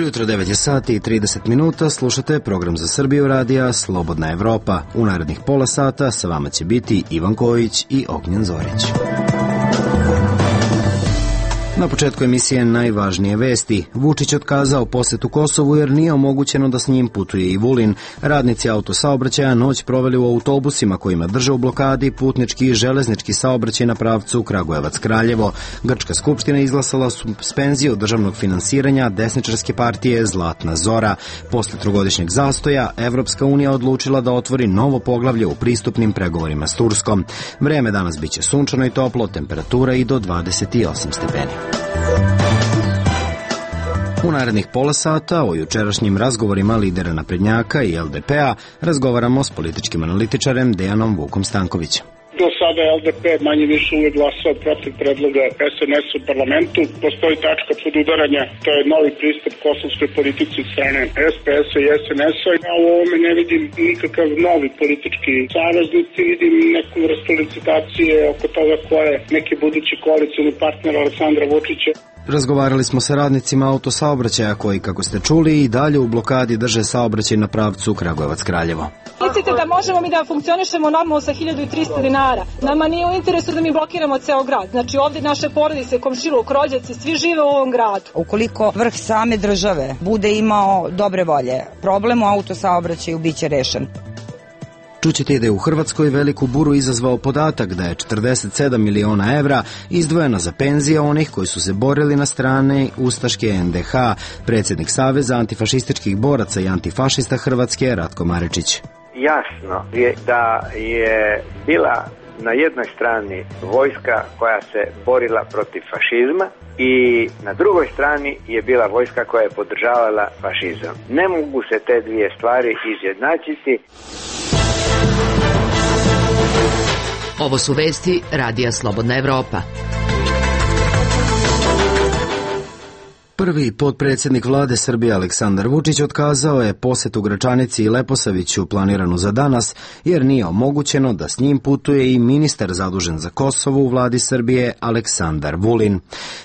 Ujutro 9 sati i 30 minuta, slušate program za Srbiju radija Slobodna Evropa. U narednih pola sata sa vama će biti Ivan Kojić i Ognjen Zorić. Na početku emisije najvažnije vesti. Vučić otkazao posetu Kosovu jer nije omogućeno da s njim putuje i Vulin. Radnici autosaobraćaja noć proveli u autobusima kojima drže u blokadi putnički i železnički saobraćaj na pravcu Kragujevac-Kraljevo. Grčka skupština izglasala suspenziju državnog finansiranja desničarske partije Zlatna Zora. Posle trogodišnjeg zastoja, Evropska unija odlučila da otvori novo poglavlje u pristupnim pregovorima s Turskom. Vreme danas biće sunčano i toplo, temperatura i do 28 stepeni. U narednih pola sata o jučerašnjim razgovorima lidera naprednjaka i LDP-a razgovaramo s političkim analitičarem Dejanom Vukom Stankovićem. Do sada je LDP manje više uvek glasao protiv predloga SNS u parlamentu. Postoji tačka podudaranja, to je novi pristup kosovskoj politici od strane SPS-a i SNS-a. Ja u ovome ne vidim nikakav novi politički savez, niti vidim neku vrstu licitacije oko toga ko je neki budući koalicioni partner Aleksandra Vučića. Razgovarali smo sa radnicima autosaobraćaja koji, kako ste čuli, i dalje u blokadi drže saobraćaj na pravcu Kragujevac-Kraljevo. Mislite da možemo mi da funkcionišemo normalno sa 1300 dinara? Nama nije u interesu da mi blokiramo ceo grad. Znači ovdje naše porodice, komšiluk, rođaci, svi žive u ovom gradu. Ukoliko vrh same države bude imao dobre volje, problem u autosaobraćaju biće rešen. Čućete da je u Hrvatskoj veliku buru izazvao podatak da je 47 miliona evra izdvojeno za penzije onih koji su se borili na strane ustaške NDH. Predsjednik Saveza antifašističkih boraca i antifašista Hrvatske Ratko Maričić. Jasno je da je bila na jednoj strani vojska koja se borila protiv fašizma i na drugoj strani je bila vojska koja je podržavala fašizam. Ne mogu se te dvije stvari izjednačiti. Ovo su vesti Radija Slobodna Evropa. Prvi potpredsjednik vlade Srbije Aleksandar Vučić otkazao je posetu Gračanici i Leposaviću planiranu za danas, jer nije omogućeno da s njim putuje i ministar zadužen za Kosovo u vladi Srbije Aleksandar Vulin.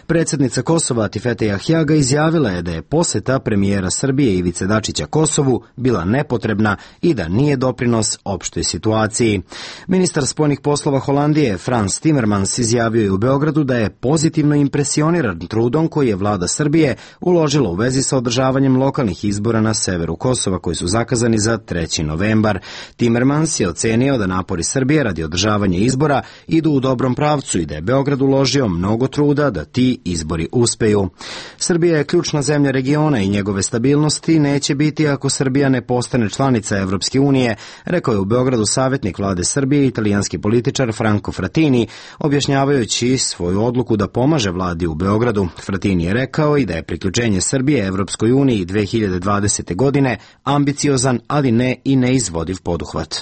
Predsjednica Kosova Atifete Jahjaga izjavila je da je poseta premijera Srbije Ivice Dačića Kosovu bila nepotrebna i da nije doprinos opštoj situaciji. Ministar spoljnih poslova Holandije Frans Timmermans izjavio je u Beogradu da je pozitivno impresioniran trudom koji je vlada Srbije uložila u vezi sa održavanjem lokalnih izbora na severu Kosova koji su zakazani za 3. novembar. Timmermans je ocenio da napori Srbije radi održavanja izbora idu u dobrom pravcu i da je Beograd uložio mnogo truda da ti izbori uspeju. Srbija je ključna zemlja regiona i njegove stabilnosti neće biti ako Srbija ne postane članica Evropske unije, rekao je u Beogradu savjetnik vlade Srbije italijanski političar Franco Frattini, objašnjavajući svoju odluku da pomaže vladi u Beogradu. Frattini je rekao i da je priključenje Srbije Evropskoj uniji 2020. godine ambiciozan, ali ne i neizvodiv poduhvat.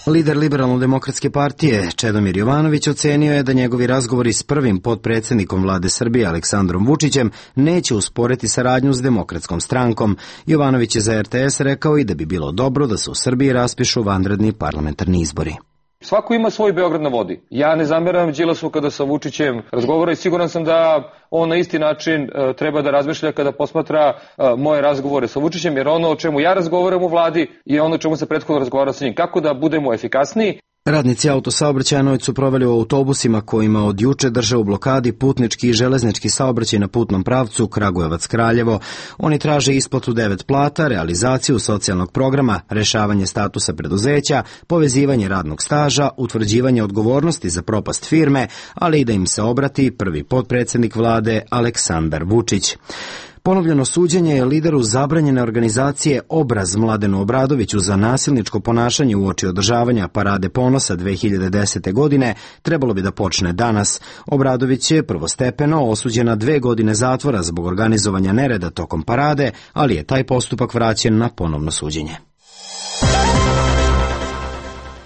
Lider Liberalno-demokratske partije Čedomir Jovanović ocenio je da njegovi razgovori s prvim potpredsjednikom vlade Srbije Aleksandrom Vučićem neće usporiti saradnju s Demokratskom strankom. Jovanović je za RTS rekao i da bi bilo dobro da se u Srbiji raspišu vanredni parlamentarni izbori. Svako ima svoj Beograd na vodi. Ja ne zameram Đilasu kada sa Vučićem razgovara i siguran sam da on na isti način treba da razmišlja kada posmatra moje razgovore sa Vučićem, jer ono o čemu ja razgovaram u vladi je ono o čemu se prethodno razgovara sa njim. Kako da budemo efikasniji? Radnici autosaobraćaja noć su proveli u autobusima kojima od juče drže u blokadi putnički i železnički saobraćaj na putnom pravcu Kragujevac-Kraljevo. Oni traže isplatu 9 plata, realizaciju socijalnog programa, rešavanje statusa preduzeća, povezivanje radnog staža, utvrđivanje odgovornosti za propast firme, ali i da im se obrati prvi potpredsjednik vlade Aleksandar Vučić. Ponovljeno suđenje je lideru zabranjene organizacije Obraz Mladenu Obradoviću za nasilničko ponašanje uoči održavanja Parade ponosa 2010. godine trebalo bi da počne danas. Obradović je prvostepeno osuđen na 2 godine zatvora zbog organizovanja nereda tokom parade, ali je taj postupak vraćen na ponovno suđenje.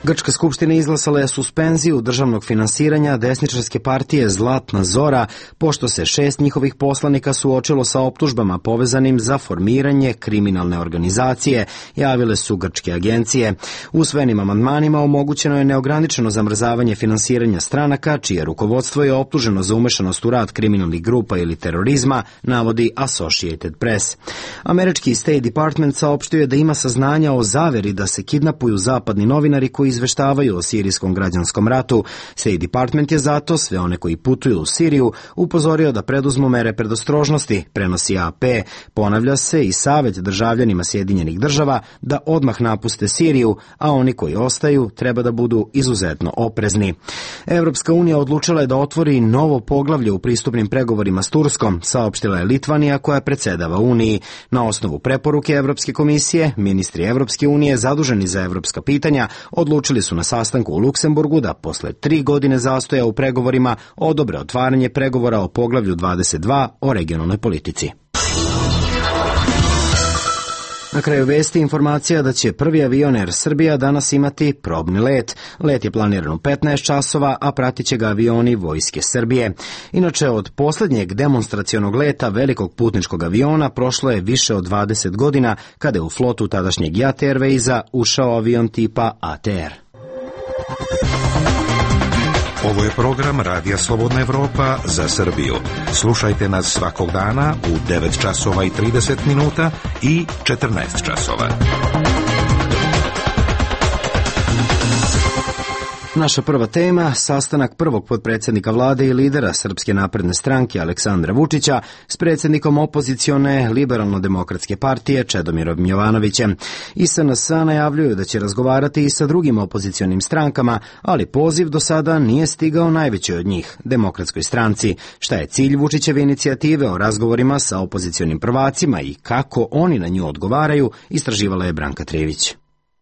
Grčka skupština izglasala je suspenziju državnog finansiranja desničarske partije Zlatna Zora, pošto se 6 njihovih poslanika suočilo sa optužbama povezanim za formiranje kriminalne organizacije, javile su grčke agencije. Usvojenim amandmanima omogućeno je neograničeno zamrzavanje finansiranja stranaka, čije rukovodstvo je optuženo za umešanost u rad kriminalnih grupa ili terorizma, navodi Associated Press. Američki State Department saopštio je da ima saznanja o zaveri da se kidnapuju zapadni novinari koji izveštavaju o sirijskom građanskom ratu. State Department je zato sve one koji putuju u Siriju upozorio da preduzmu mere predostrožnosti, prenosi AP. Ponavlja se i savjet državljanima Sjedinjenih država da odmah napuste Siriju, a oni koji ostaju treba da budu izuzetno oprezni. Evropska unija odlučila je da otvori novo poglavlje u pristupnim pregovorima s Turskom, saopštila je Litvanija koja predsjedava Uniji. Na osnovu preporuke Evropske komisije, ministri Evropske unije zaduženi za evropska pitanja odlučili su na sastanku u Luksemburgu da posle 3 godine zastoja u pregovorima odobre otvaranje pregovora o poglavlju 22 o regionalnoj politici. Na kraju vesti informacija da će prvi avion Air Srbija danas imati probni let. Let je planiran u 15 časova, a pratit će ga avioni Vojske Srbije. Inače, od posljednjeg demonstracionog leta velikog putničkog aviona prošlo je više od 20 godina kada je u flotu tadašnjeg JAT Airwaysa ušao avion tipa ATR. Ovo je program Radija Slobodna Evropa za Srbiju. Slušajte nas svakog dana u 9 časova i 30 minuta i 14 časova. Naša prva tema, sastanak prvog potpredsjednika vlade i lidera Srpske napredne stranke Aleksandra Vučića s predsjednikom opozicione Liberalno-demokratske partije Čedomirom Jovanovićem. I SNS najavljuju da će razgovarati i sa drugim opozicionim strankama, ali poziv do sada nije stigao najvećoj od njih, Demokratskoj stranci. Šta je cilj Vučićeve inicijative o razgovorima sa opozicionim prvacima i kako oni na nju odgovaraju, istraživala je Branka Trijević.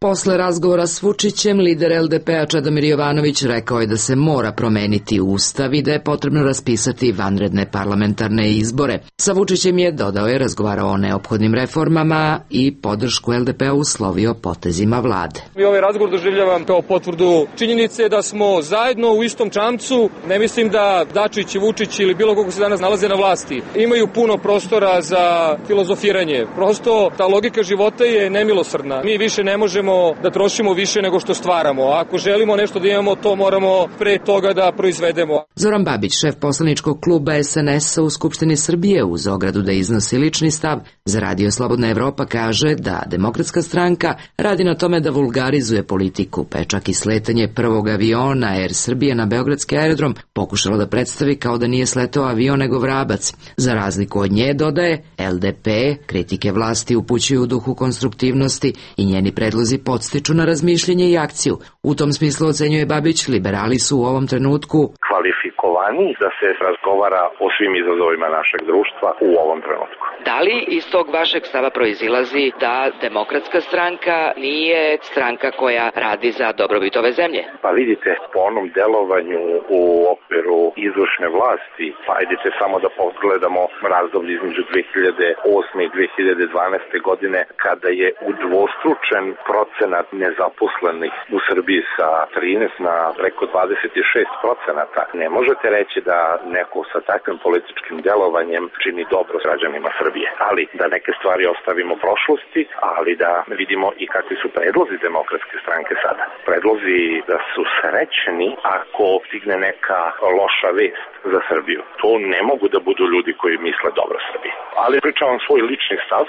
Posle razgovora s Vučićem, lider LDP-a Čedomir Jovanović rekao je da se mora promeniti ustav i da je potrebno raspisati vanredne parlamentarne izbore. Sa Vučićem je, dodao je, razgovarao o neophodnim reformama i podršku LDP-a uslovio potezima vlade. I ovaj razgovor doživljavam kao potvrdu činjenice da smo zajedno u istom čamcu. Ne mislim da Dačić, Vučić ili bilo koga se danas nalaze na vlasti imaju puno prostora za filozofiranje. Prosto ta logika života je nemilosrdna. Mi više ne možemo da trošimo više nego što stvaramo. Ako želimo nešto da imamo, to moramo pre toga da proizvedemo. Zoran Babić, šef poslaničkog kluba SNS-a u Skupštini Srbije, uz ogradu da iznosi lični stav, za Radio Slobodna Evropa kaže da Demokratska stranka radi na tome da vulgarizuje politiku, pa je čak i sletanje prvog aviona Air Srbije na beogradski aerodrom pokušalo da predstavi kao da nije sletao avion nego vrabac. Za razliku od nje, dodaje, LDP kritike vlasti upućuju u duhu konstruktivnosti i njeni predlozi podstiču na razmišljenje i akciju. U tom smislu, ocenjuje Babić, liberali su u ovom trenutku kvalifikovani da se razgovara o svim izazovima našeg društva u ovom trenutku. Da li iz tog vašeg stava proizilazi da Demokratska stranka nije stranka koja radi za dobrobit ove zemlje? Pa vidite, po onom delovanju u okviru izvršne vlasti, pa idete samo da pogledamo razdoblje između 2008. i 2012. godine, kada je udvostručen procenat nezaposlenih u Srbiji sa 13 na preko 26%. Ne možete reći da neko sa takvim političkim delovanjem čini dobro građanima Srbije. Ali da neke stvari ostavimo prošlosti, ali da vidimo i kakvi su predlozi Demokratske stranke sada. Predlozi da su srećni ako stigne neka loša vest za Srbiju. To ne mogu da budu ljudi koji misle dobro Srbiji. Ali pričavam svoj lični stav.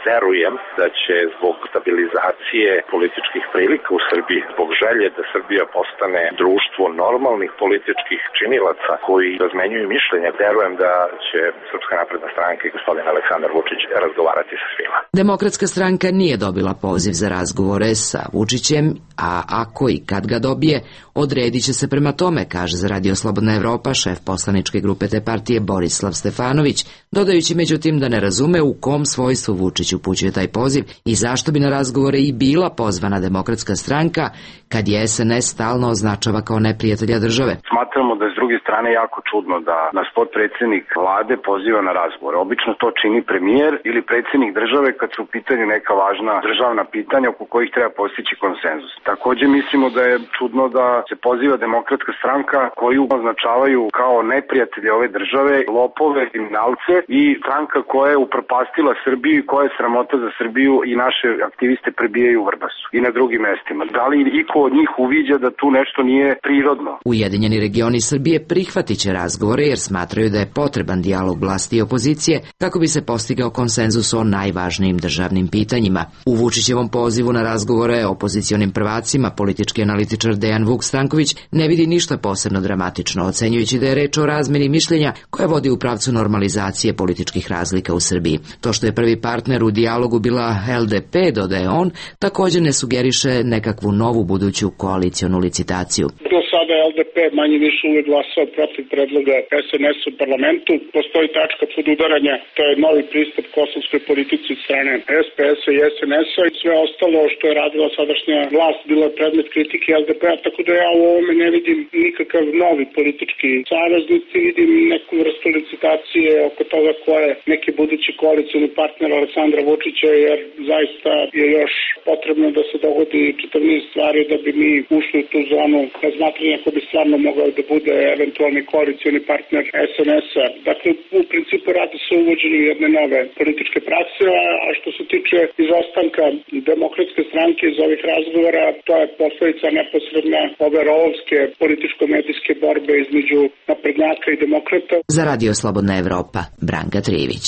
Verujem da će zbog stabilizacije političkih prilika u Srbiji, zbog želje da Srbija postane društvo normalnih političkih činilaca koji razmenjuju mišljenja, verujem da će Srpska napredna stranka i gospodin Aleksandar Vučić razgovarati sa svima. Demokratska stranka nije dobila poziv za razgovore sa Vučićem, a ako i kad ga dobije, odredit će se prema tome, kaže za Radio Slobodna Evropa šef poslaničke grupe te partije Borislav Stefanović, dodajući međutim da ne razume u kom svojstvu Vučić upućuje taj poziv i zašto bi na razgovore i bila pozvana Demokratska stranka kad je SNS stalno označava kao neprijatelja države. Smatramo da je s druge strane jako čudno da nas potpredsjednik vlade poziva na razgovor. Obično to čini premijer ili predsjednik države kad su u pitanju neka važna državna pitanja oko kojih treba postići konsenzus. Također mislimo da je čudno da se poziva Demokratska stranka koju označavaju kao neprijatelje ove države, lopove, kriminalce i stranka koja je upropastila Srbiju i koja je sramota za Srbiju i naše aktiviste prebijaju u Vrbasu i na drugim mestima. Da li iko od njih uviđa da tu nešto nije prirodno? Ujedinjeni regioni Srbije prihvatit će razgovore jer smatraju da je potreban dijalog vlasti i opozicije kako bi se postigao konsenzus o najvažnijim državnim pitanjima. U Vučićevom pozivu na razgovore o opozicionim prvacima politički analitičar Dejan Vuk Stanković ne vidi ništa posebno dramatično, ocenjujući da je reč o razmeni mišljenja koja vodi u pravcu normalizacije političkih razlika u Srbiji. To što je prvi partner u dijalogu bila LDP, dodaje on, također ne sugeriše nekakvu novu buduću koalicionu licitaciju. Do sada LDP manje više uvijek glasao protiv predloga SNS u parlamentu. Postoji tačka podudaranja, to je novi pristup kosovskoj politici od strane SPS-a i SNS-a i sve ostalo što je radila sadašnja vlast bilo je predmet kritike LDP-a, tako da ja u ovome ne vidim nikakav novi politički savez, niti vidim neku vrstu licitacije oko toga ko je neki budući koalicioni partner Aleksandra Vučića, jer zaista je još potrebno da se dogodi čitav niz stvari da bi mi ušli u tu zonu razmatranja ko bi stvarno mogao da bude eventualni koalicioni partner SNS-a. Dakle, u principu radi se o uvođenju jedne nove političke prakse, a što se tiče izostanka Demokratske stranke iz ovih razgovora, to je posledica neposredna ove rovovske političko-medijske borbe između naprednjaka i demokrata. Za Radio Slobodna Evropa, Branka Trivić.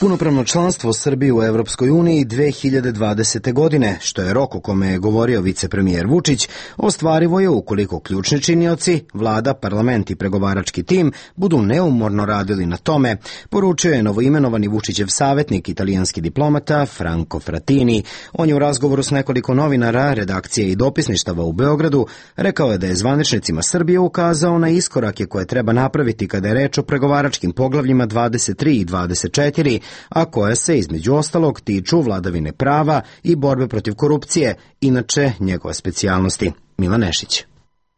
Punopravno članstvo Srbije u Evropskoj uniji 2020. godine, što je rok o kome je govorio vicepremijer Vučić, ostvarivo je ukoliko ključni činioci, vlada, parlament i pregovarački tim budu neumorno radili na tome, poručio je novoimenovani Vučićev savjetnik, italijanski diplomata Franco Frattini. On je u razgovoru s nekoliko novinara, redakcije i dopisništava u Beogradu rekao je da je zvaničnicima Srbije ukazao na iskorake koje treba napraviti kada je reč o pregovaračkim poglavljima 23 i 24, a koje se između ostalog tiču vladavine prava i borbe protiv korupcije, inače njegove specijalnosti. Milan Nešić.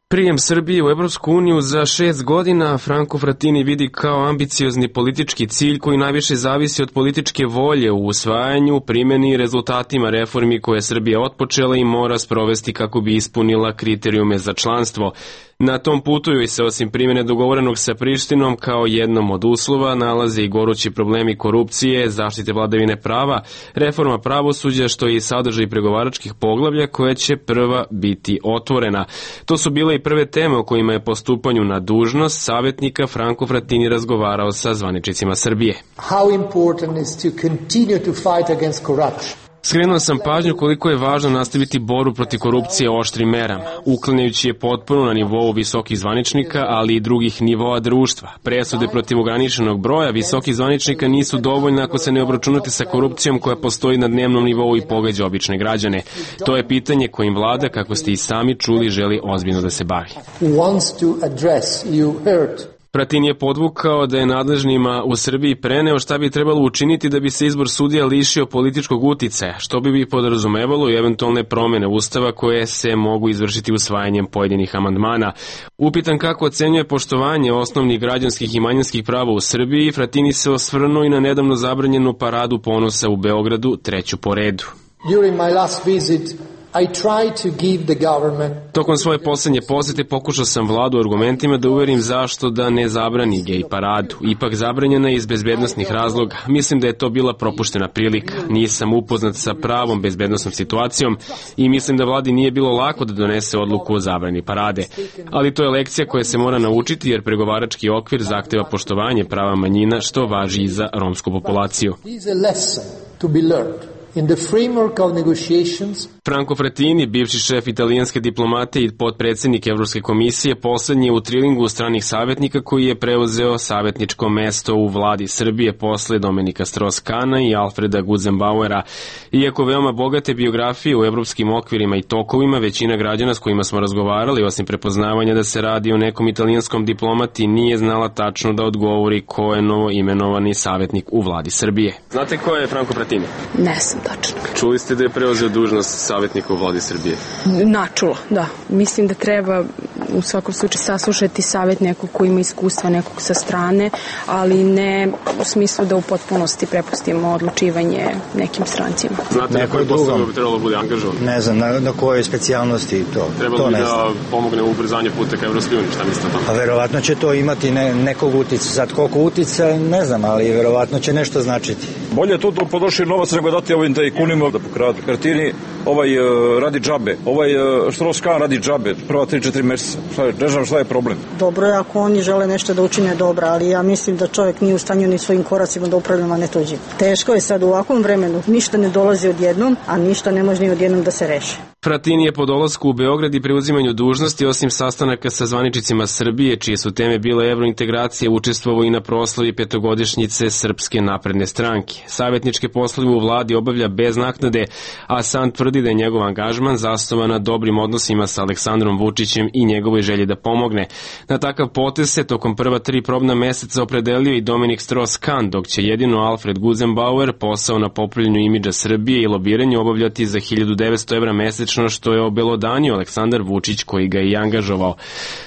Prijem Srbije u Evropsku uniju za 6 godina Franco Frattini vidi kao ambiciozni politički cilj koji najviše zavisi od političke volje u usvajanju, primjeni i rezultatima reformi koje je Srbija otpočela i mora sprovesti kako bi ispunila kriterijume za članstvo. Na tom putu joj se osim primjene dogovorenog sa Prištinom kao jednom od uslova nalaze i gorući problemi korupcije, zaštite vladavine prava, reforma pravosuđa što je i sadržaj pregovaračkih poglavlja koje će prva biti otvorena. To su bile i prve teme o kojima je po stupanju na dužnost savjetnika Franco Frattini razgovarao sa zvaničnicima Srbije. How important is to continue to fight against corruption? Skrenuo sam pažnju koliko je važno nastaviti borbu protiv korupcije oštrim merama, uklanjajući je potpuno na nivou visokih zvaničnika, ali i drugih nivoa društva. Presude protiv ograničenog broja visokih zvaničnika nisu dovoljne ako se ne obračunate sa korupcijom koja postoji na dnevnom nivou i pogađa obične građane. To je pitanje kojim vlada, kako ste i sami čuli, želi ozbiljno da se bavi. Frattini je podvukao da je nadležnima u Srbiji preneo šta bi trebalo učiniti da bi se izbor sudija lišio političkog uticaja, što bi podrazumevalo i eventualne promjene Ustava koje se mogu izvršiti usvajanjem pojedinih amandmana. Upitan kako ocenjuje poštovanje osnovnih građanskih i manjinskih prava u Srbiji, Frattini se osvrnuo i na nedavno zabranjenu paradu ponosa u Beogradu, treću po redu. During my last visit, Tokom svoje posljednje posjete pokušao sam vladu argumentima da uverim zašto da ne zabrani gej paradu. Ipak zabranjena je iz bezbednosnih razloga. Mislim da je to bila propuštena prilika. Nisam upoznat sa pravom bezbednosnom situacijom i mislim da vladi nije bilo lako da donese odluku o zabrani parade. Ali to je lekcija koja se mora naučiti jer pregovarački okvir zahteva poštovanje prava manjina što važi i za romsku populaciju. In the framework of negotiations, Franco Frattini, bivši šef italijanske diplomate i potpredsjednik Evropske komisije, poslednji je u trilingu stranih savjetnika koji je preuzeo savjetničko mesto u vladi Srbije posle Dominika Strauss-Kahna i Alfreda Guzenbauera. Iako veoma bogate biografije u evropskim okvirima i tokovima, većina građana s kojima smo razgovarali, osim prepoznavanja da se radi o nekom italijanskom diplomati, nije znala tačno da odgovori ko je novo imenovani savjetnik u vladi Srbije. Znate ko je Franco Frattini? Ne znam tačno. Čuli ste da je preuzeo dužnost savjetnika u vladi Srbije? Načula, da. Mislim da treba u svakom slučaju saslušati savjet nekog ko ima iskustva, nekog sa strane, ali ne u smislu da u potpunosti prepustimo odlučivanje nekim strancima. Znate na koji posao bi trebalo bude angažovan? Ne znam, na kojoj specijalnosti to. Trebalo bi da pomogne u ubrzanju puta ka Evropskoj uniji, šta mislite o tome? A verovatno će to imati nekog uticaja. Sad koliko uticaja, ne znam, ali verovatno će nešto značiti. Bolje to potroši novac nego dati ovim tajkunima da pokradu. Frattini radi džabe, Strauss-Kahn radi džabe, prva 3-4 meseca. Ne znam šta je problem. Dobro je ako oni žele nešto da učine dobro, ali ja mislim da čovjek nije u stanju ni svojim koracima da upravlja, ne tuđim. Teško je sad u ovakvom vremenu, ništa ne dolazi odjednom, a ništa ne može ni odjednom da se reši. Frattini je po dolasku u Beograd i preuzimanju dužnosti, osim sastanaka sa zvaničnicima Srbije, čije su teme bile evrointegracije, učestvovao i na proslavi petogodišnjice Srpske napredne stranke. Savjetničke poslove u vladi obavlja bez naknade, a sam tvrdi da je njegov angažman zasnovan na dobrim odnosima sa Aleksandrom Vučićem i njegovoj želji da pomogne. Na takav potez se tokom prva 3 probna meseca opredelio i Dominik Strauss-Kahn, dok će jedino Alfred Guzenbauer posao na popravljanju imidža Srbije i lobiranju obavljati za 1900 evra mesečno, što je obelodanio Aleksandar Vučić koji ga je i angažovao.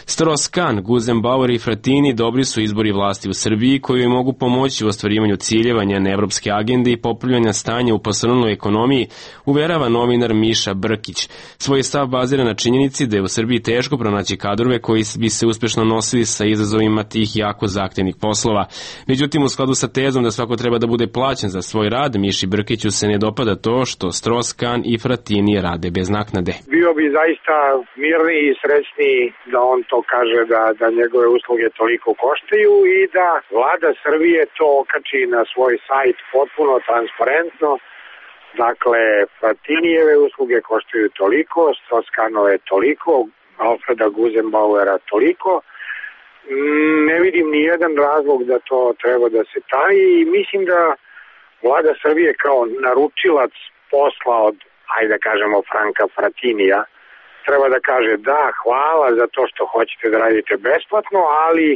Strauss-Kahn, Guzenbauer i Frattini dobri su izbori vlasti u Srbiji koji joj mogu pomoći u ostvarivanju ciljeva njene evropske agende i popravljanja stanja u posrnuloj ekonomiji, uverava novinar Miša Brkić. Svoj stav bazira na činjenici da je u Srbiji teško pronaći kadrove koji bi se uspešno nosili sa izazovima tih jako zahtevnih poslova. Međutim, u skladu sa tezom da svako treba da bude plaćen za svoj rad, Miši Brkiću se ne dopada to što Strauss-Kahn i Frattini rade bez naknade. Bio bi zaista mirniji i srećniji da on to kaže da njegove usluge toliko koštaju i da vlada Srbije to okači na svoj sajt potpuno transparentno. Dakle, Frattinijeve usluge koštaju toliko, Strauss-Kahnove toliko, Alfreda Guzenbauera toliko. Ne vidim ni jedan razlog da to treba da se taji i mislim da vlada Srbije kao naručilac posla od, ajde da kažemo, Franka Frattinija, treba da kaže da, hvala za to što hoćete da radite besplatno, ali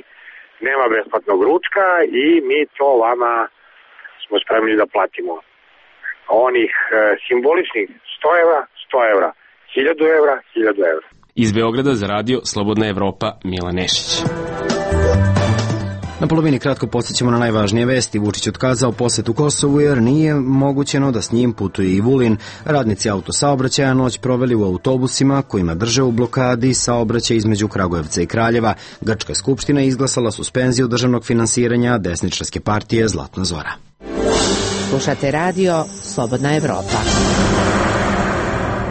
nema besplatnog ručka i mi to vama smo spremni da platimo. Onih simboličnih 100 evra, 100 evra, 1000 evra, 1000 evra. Iz Beograda za radio Slobodna Evropa, Milan Nešić. Na polovini kratko podsjećamo na najvažnije vesti. Vučić otkazao posetu Kosovu jer nije mogućeno da s njim putuje i Vulin. Radnici autosaobraćaja noć proveli u autobusima kojima drže u blokadi saobraćaj između Kragujevca i Kraljeva. Grčka skupština izglasala suspenziju državnog finansiranja desničarske partije Zlatna Zora. Slušate radio Slobodna Evropa.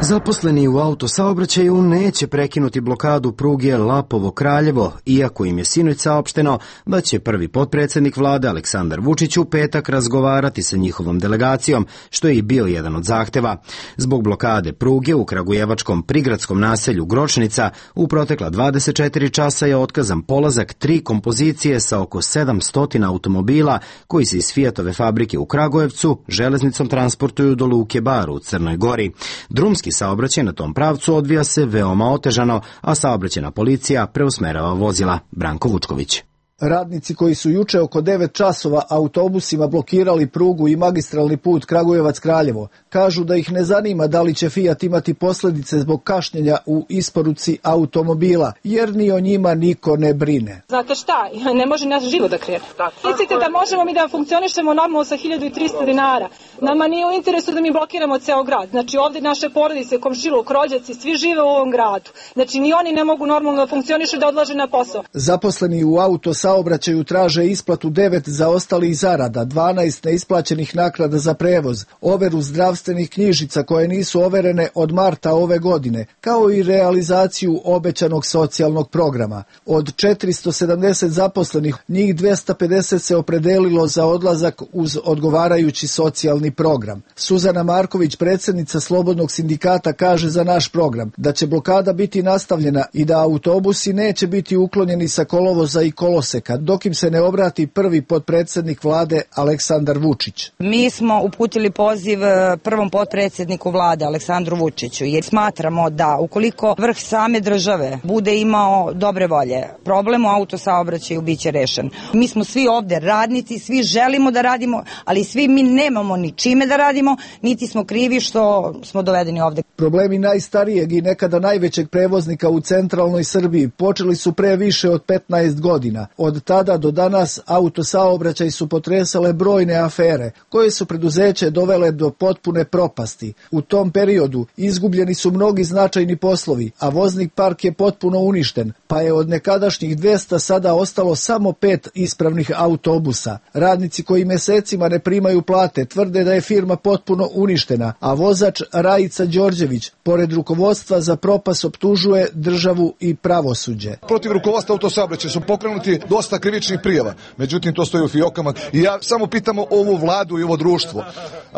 Zaposleni u autosaobraćaju neće prekinuti blokadu pruge Lapovo-Kraljevo, iako im je sinoć saopšteno da će prvi potpredsjednik vlade Aleksandar Vučić u petak razgovarati sa njihovom delegacijom, što je i bio jedan od zahteva. Zbog blokade pruge u kragujevačkom prigradskom naselju Gročnica u protekla 24 časa je otkazan polazak 3 kompozicije sa oko 700 automobila koji se iz Fiatove fabrike u Kragujevcu železnicom transportuju do Luke Bar u Crnoj Gori. Drumski saobraćaj na tom pravcu odvija se veoma otežano, a saobraćajna policija preusmerava vozila. Branko Vučković. Radnici koji su juče oko 9 časova autobusima blokirali prugu i magistralni put Kragujevac-Kraljevo, kažu da ih ne zanima da li će Fiat imati posljedice zbog kašnjenja u isporuci automobila, jer ni o njima niko ne brine. Znate šta, ne može naš život da krene. Mislite da možemo mi da funkcionišemo normalno sa 1300 dinara? Nama nije u interesu da mi blokiramo ceo grad. Znači ovdje naše porodice, komšiluk, rođaci, svi žive u ovom gradu. Znači ni oni ne mogu normalno da funkcionišu da odlaže na posao. Zaposleni u autosaobraćaju saobraćaju traže isplatu 9 zaostalih zarada, 12 neisplaćenih naknada za prevoz, overu zdravstvenih knjižica koje nisu overene od marta ove godine, kao i realizaciju obećanog socijalnog programa. Od 470 zaposlenih, njih 250 se opredelilo za odlazak uz odgovarajući socijalni program. Suzana Marković, predsjednica Slobodnog sindikata, kaže za naš program da će blokada biti nastavljena i da autobusi neće biti uklonjeni sa kolovoza i koloseka, dok im se ne obrati prvi potpredsjednik vlade Aleksandar Vučić. Mi smo uputili poziv prvom potpredsjedniku vlade Aleksandru Vučiću, jer smatramo da ukoliko vrh same države bude imao dobre volje, problem u autosaobraćaju biće rešen. Mi smo svi ovde radnici, svi želimo da radimo, ali svi mi nemamo ni čime da radimo, niti smo krivi što smo dovedeni ovde. Problemi najstarijeg i nekada najvećeg prevoznika u centralnoj Srbiji počeli su pre više od 15 godina. Od tada do danas autosaobraćaj su potresale brojne afere, koje su preduzeće dovele do potpune propasti. U tom periodu izgubljeni su mnogi značajni poslovi, a voznik park je potpuno uništen, pa je od nekadašnjih 200 sada ostalo samo 5 ispravnih autobusa. Radnici koji mesecima ne primaju plate tvrde da je firma potpuno uništena, a vozač Rajica Đorđević, pored rukovodstva za propast, optužuje državu i pravosuđe. Protiv rukovodstva autosaobraćaja su pokrenuti dosta krivičnih prijava, međutim to stoji u fijokama. I ja samo pitamo ovu vladu i ovo društvo,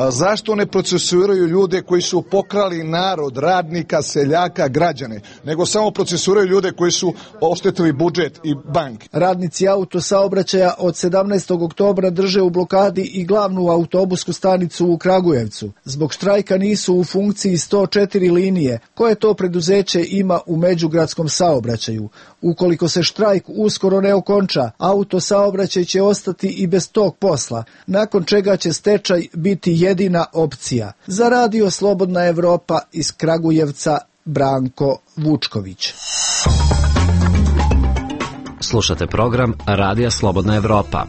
zašto ne procesuiraju ljude koji su pokrali narod, radnika, seljaka, građane, nego samo procesuiraju ljude koji su oštetili budžet i banke. Radnici autosaobraćaja od 17. oktobra drže u blokadi i glavnu autobusku stanicu u Kragujevcu. Zbog štrajka nisu u funkciji 104 linije koje to preduzeće ima u međugradskom saobraćaju. Ukoliko se štrajk uskoro ne okonča, autosaobraćaj će ostati i bez tog posla, nakon čega će stečaj biti jedina opcija. Za Radio Slobodna Evropa iz Kragujevca, Branko Vučković. Slušate program Radija Slobodna Evropa.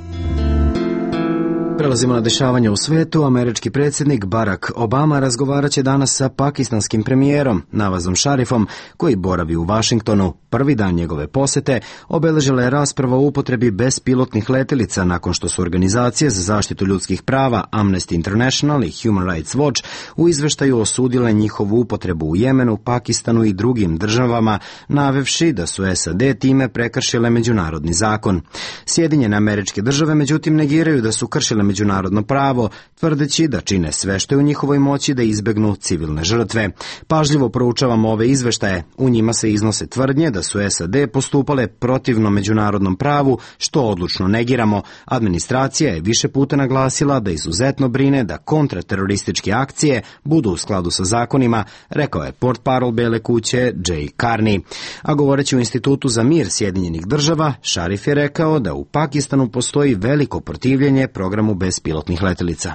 Prelazimo na dešavanje u svetu. Američki predsjednik Barack Obama razgovarat će danas sa pakistanskim premijerom Nawazom Sharifom, koji boravi u Vašingtonu. Prvi dan njegove posete obeležila je rasprava o upotrebi bespilotnih letelica nakon što su organizacije za zaštitu ljudskih prava Amnesty International i Human Rights Watch u izveštaju osudile njihovu upotrebu u Jemenu, Pakistanu i drugim državama, navevši da su SAD time prekršile međunarodni zakon. Sjedinjene Američke Države međutim negiraju da su kršile međunarodno pravo, tvrdeći da čine sve što je u njihovoj moći da izbegnu civilne žrtve. Pažljivo proučavamo ove izveštaje. U njima se iznose tvrdnje da su SAD postupale protivno međunarodnom pravu, što odlučno negiramo. Administracija je više puta naglasila da izuzetno brine da kontraterorističke akcije budu u skladu sa zakonima, rekao je portparol Bele kuće Jay Carney. A govoreći u Institutu za mir Sjedinjenih Država, Sharif je rekao da u Pakistanu postoji veliko protivljenje programu bespilotnih letelica.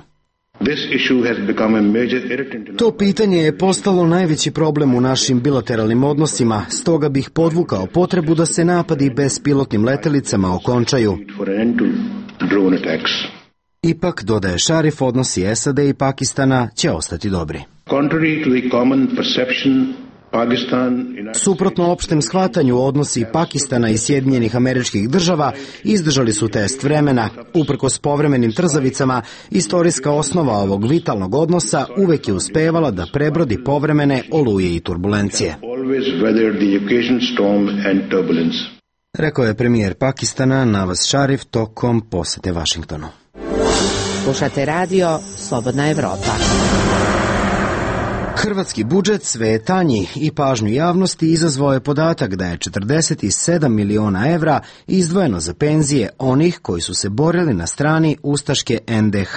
To pitanje je postalo najveći problem u našim bilateralnim odnosima, stoga bih podvukao potrebu da se napadi bespilotnim letelicama okončaju. Ipak, dodaje Sharif, odnosi SAD i Pakistana će ostati dobri. Suprotno opštem shvatanju, odnosi Pakistana i Sjedinjenih Američkih Država izdržali su test vremena. Uprkos povremenim trzavicama, istorijska osnova ovog vitalnog odnosa uvek je uspevala da prebrodi povremene oluje i turbulencije. Rekao je premijer Pakistana Nawaz Sharif tokom posete Vašingtonu. Slušate radio Slobodna Evropa. Hrvatski budžet sve je tanji i pažnju javnosti izazvao je podatak da je 47 miliona evra izdvojeno za penzije onih koji su se borili na strani ustaške NDH,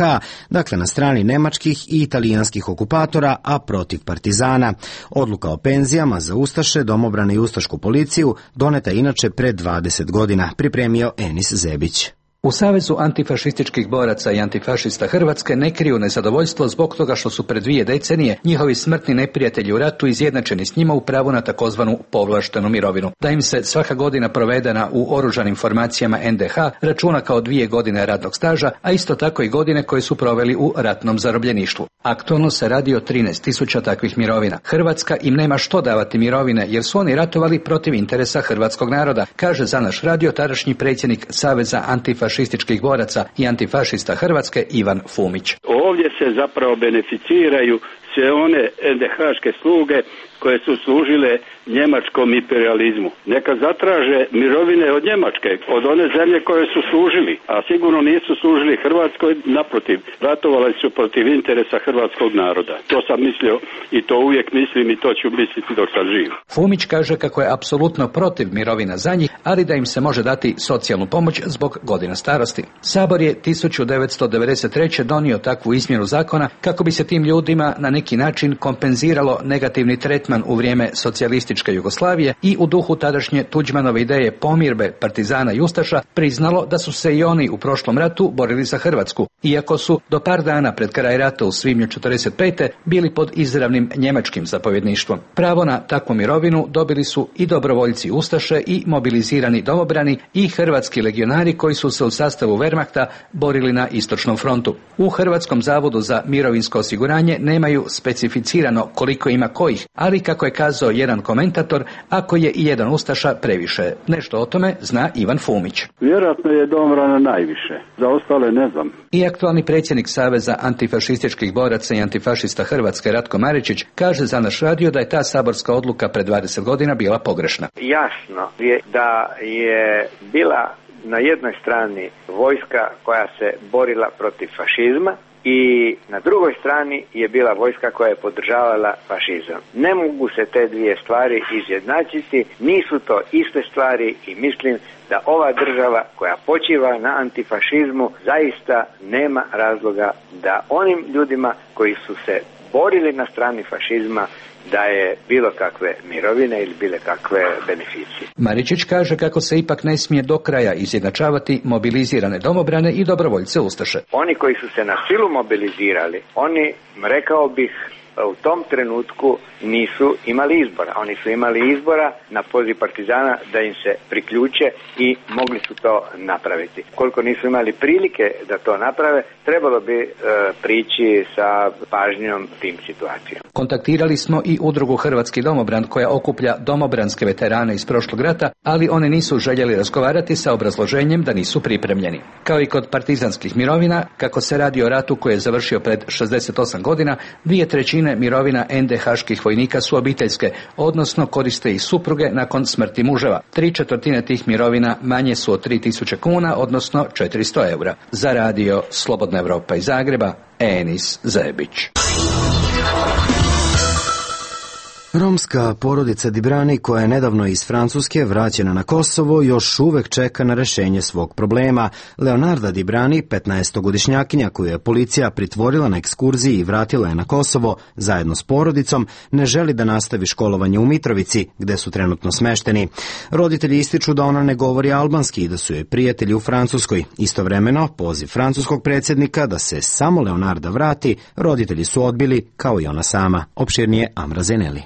dakle na strani nemačkih i italijanskih okupatora, a protiv partizana. Odluka o penzijama za ustaše, domobrane i ustašku policiju doneta inače pre 20 godina, pripremio Enis Zebić. U Savezu antifašističkih boraca i antifašista Hrvatske ne kriju nezadovoljstvo zbog toga što su pred 2 decenije njihovi smrtni neprijatelji u ratu izjednačeni s njima u pravu na takozvanu povlaštenu mirovinu. Da im se svaka godina provedena u oružanim formacijama NDH računa kao 2 godine radnog staža, a isto tako i godine koje su proveli u ratnom zarobljeništvu. Aktualno se radi o 13.000 takvih mirovina. Hrvatska im nema što davati mirovine jer su oni ratovali protiv interesa hrvatskog naroda, kaže za naš radio tadašnji predsjednik Saveza antifašističkih boraca i antifašista Hrvatske Ivan Fumić. Ovdje se zapravo beneficiraju sve one NDH-ške sluge koje su služile njemačkom imperializmu. Neka zatraže mirovine od Njemačke, od one zemlje koje su služili, a sigurno nisu služili Hrvatskoj, naprotiv, ratovali su protiv interesa hrvatskog naroda. To sam mislio i to uvijek mislim i to ću misliti dok sam živ. Fumić kaže kako je apsolutno protiv mirovina za njih, ali da im se može dati socijalnu pomoć zbog godina starosti. Sabor je 1993. donio takvu izmjenu zakona kako bi se tim ljudima na neki način kompenziralo negativni tretman u vrijeme socijalističke Jugoslavije i u duhu tadašnje Tuđmanove ideje pomirbe partizana i ustaša priznalo da su se i oni u prošlom ratu borili za Hrvatsku, iako su do par dana pred kraj rata u svibnju 1945. bili pod izravnim njemačkim zapovjedništvom. Pravo na takvu mirovinu dobili su i dobrovoljci ustaše i mobilizirani domobrani i hrvatski legionari koji su se u sastavu Wehrmachta borili na istočnom frontu. U Hrvatskom zavodu za mirovinsko osiguranje nemaju specificirano koliko ima kojih, ali kako je kazao jedan komentator, ako je i jedan ustaša previše. Nešto o tome zna Ivan Fumić. Vjerojatno je domobrana najviše, za ostale ne znam. I aktualni predsjednik Saveza antifašističkih boraca i antifašista Hrvatske Ratko Maričić kaže za naš radio da je ta saborska odluka pred 20 godina bila pogrešna. Jasno je da je bila na jednoj strani vojska koja se borila protiv fašizma i na drugoj strani je bila vojska koja je podržavala fašizam. Ne mogu se te 2 stvari izjednačiti, nisu to iste stvari i mislim da ova država koja počiva na antifašizmu zaista nema razloga da onim ljudima koji su se borili na strani fašizma daje bilo kakve mirovine ili bilo kakve beneficije. Maričić kaže kako se ipak ne smije do kraja izjednačavati mobilizirane domobrane i dobrovoljce ustaše. Oni koji su se na silu mobilizirali, oni, rekao bih, u tom trenutku nisu imali izbora. Oni su imali izbora na poziv partizana da im se priključe i mogli su to napraviti. Koliko nisu imali prilike da to naprave, trebalo bi prići sa pažnjom tim situacijama. Kontaktirali smo i udrugu Hrvatski domobran koja okuplja domobranske veterane iz prošlog rata, ali oni nisu željeli razgovarati sa obrazloženjem da nisu pripremljeni. Kao i kod partizanskih mirovina, kako se radi o ratu koji je završio pred 68 godina, 2/3 mirovina NDH-ških vojnika su obiteljske, odnosno koriste i supruge nakon smrti muževa. 3/4 tih mirovina manje su od 3000 kuna, odnosno 400 eura. Za radio Slobodna Evropa iz Zagreba, Enis Zebić. Romska porodica Dibrani, koja je nedavno iz Francuske vraćena na Kosovo, još uvek čeka na rešenje svog problema. Leonarda Dibrani, 15-godišnjakinja koju je policija pritvorila na ekskurziji i vratila je na Kosovo zajedno s porodicom, ne želi da nastavi školovanje u Mitrovici, gde su trenutno smešteni. Roditelji ističu da ona ne govori albanski i da su joj prijatelji u Francuskoj. Istovremeno, poziv francuskog predsjednika da se samo Leonarda vrati, roditelji su odbili, kao i ona sama. Opširnije Amra Zeneli.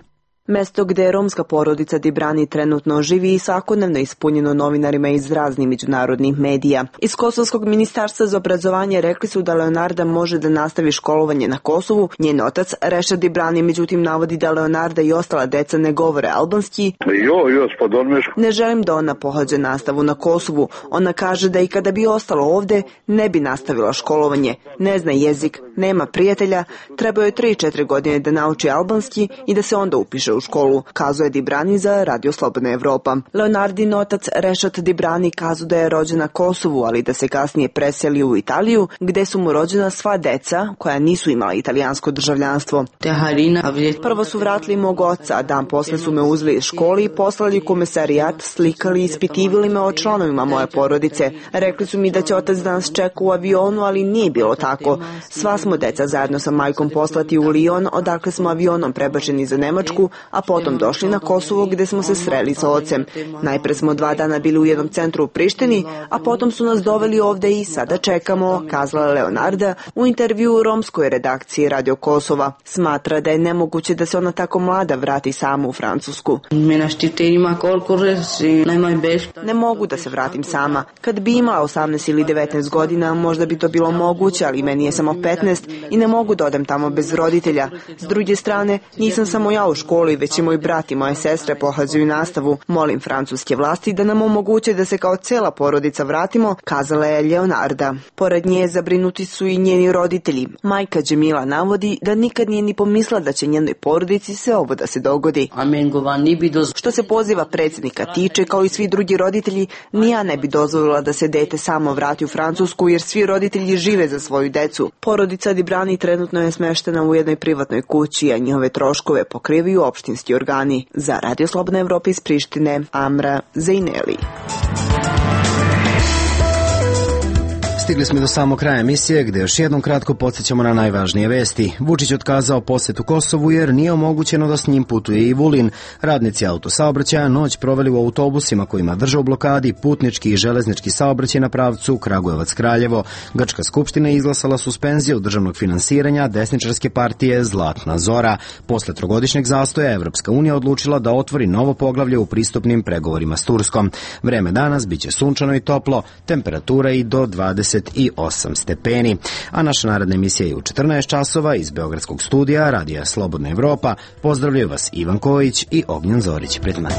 Mesto gde romska porodica Dibrani trenutno živi i svakodnevno ispunjeno novinarima iz raznih međunarodnih medija. Iz Kosovskog ministarstva za obrazovanje rekli su da Leonarda može da nastavi školovanje na Kosovu. Njen otac, Rešad Dibrani, međutim navodi da Leonarda i ostala deca ne govore albanski. Ne želim da ona pohađa nastavu na Kosovu. Ona kaže da i kada bi ostala ovde, ne bi nastavila školovanje. Ne zna jezik, nema prijatelja, treba joj 3-4 godine da nauči albanski i da se onda upiše u školu, kazuje Dibrani za Radio Slobodna Evropa. Leonardin otac Rešat Dibrani kazao da je rođen na Kosovu, ali da se kasnije preselio u Italiju, gde su mu rođena sva deca koja nisu imala italijansko državljanstvo. Prvo su vratili mog oca, a dan posle su me uzeli iz škole i poslali u komesarijat, slikali i ispitivali me o članovima moje porodice. Rekli su mi da će otac danas čeka u avionu, ali nije bilo tako. Sva smo deca zajedno sa majkom poslati u Lion, odakle smo avionom prebačeni za Nemačku, a potom došli na Kosovo gde smo se sreli sa ocem. Najpre smo 2 dana bili u jednom centru u Prištini, a potom su nas doveli ovde i sada čekamo, kazala Leonarda u intervju u romskoj redakciji Radio Kosova. Smatra da je nemoguće da se ona tako mlada vrati sama u Francusku. Ne mogu da se vratim sama. Kad bi imala 18 ili 19 godina, možda bi to bilo moguće, ali meni je samo 15 i ne mogu da odem tamo bez roditelja. S druge strane, nisam samo ja u školi, već i moj brat i moje sestre pohađaju nastavu. Molim francuske vlasti da nam omoguće da se kao cela porodica vratimo, kazala je Leonarda. Pored nje zabrinuti su i njeni roditelji. Majka Džemila navodi da nikad nije ni pomisla da će njenoj porodici sve ovo da se dogodi. Što se poziva predsjednika tiče, kao i svi drugi roditelji, ni ja ne bi dozvolila da se dete samo vrati u Francusku, jer svi roditelji žive za svoju decu. Porodica Dibrani trenutno je smeštena u jednoj privatnoj kući, a njihove troškove pokrivaju opštinski organi. Za Radio Slobodna Evropa iz Prištine, Amra Zejneli. Stigli smo do samog kraja emisije, gde još jednom kratko podsjećamo na najvažnije vesti. Vučić otkazao posetu Kosovu jer nije omogućeno da s njim putuje i Vulin. Radnici autosaobraćaja noć proveli u autobusima kojima drže u blokadi putnički i železnički saobraćaj na pravcu Kragujevac-Kraljevo. Grčka skupština izglasala suspenziju državnog finansiranja desničarske partije Zlatna Zora. Posle trogodišnjeg zastoja Evropska unija odlučila da otvori novo poglavlje u pristupnim pregovorima s Turskom. Vreme danas biće sunčano i toplo, temperatura i do 28 stepeni. A naša naredna emisija je u 14 časova iz Beogradskog studija Radija Slobodna Evropa. Pozdravljaju vas Ivan Kojić i Ognjen Zorić. Pred mnom.